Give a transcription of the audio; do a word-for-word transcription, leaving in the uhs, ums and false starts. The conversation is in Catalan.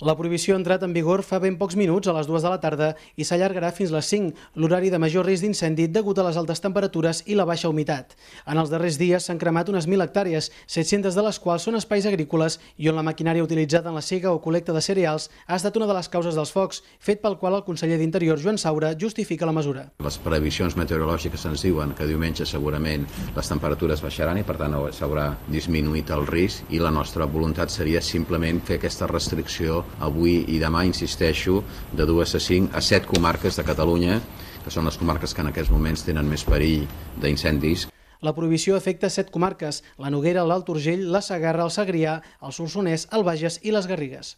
La prohibició ha entrat en vigor fa ben pocs minuts, a les dues de la tarda, i s'allargarà fins les cinc, l'horari de major risc d'incendi degut a les altes temperatures i la baixa humitat. En els darrers dies s'han cremat unes mil hectàrees, set-centes de les quals són espais agrícoles i on la maquinària utilitzada en la sega o col·lecta de cereals ha estat una de les causes dels focs, fet pel qual el conseller d'Interior, Joan Saura, justifica la mesura. Les previsions meteorològiques ens diuen que diumenge segurament les temperatures baixaran i per tant s'haurà disminuït el risc, i la nostra voluntat seria simplement fer aquesta restricció avui i demà, insisteixo, de dues a cinc a set comarques de Catalunya, que són les comarques que en aquests moments tenen més perill d'incendis. La prohibició afecta set comarques: la Noguera, l'Alt Urgell, la Segarra, el Segrià, el Solsonès, el Bages i les Garrigues.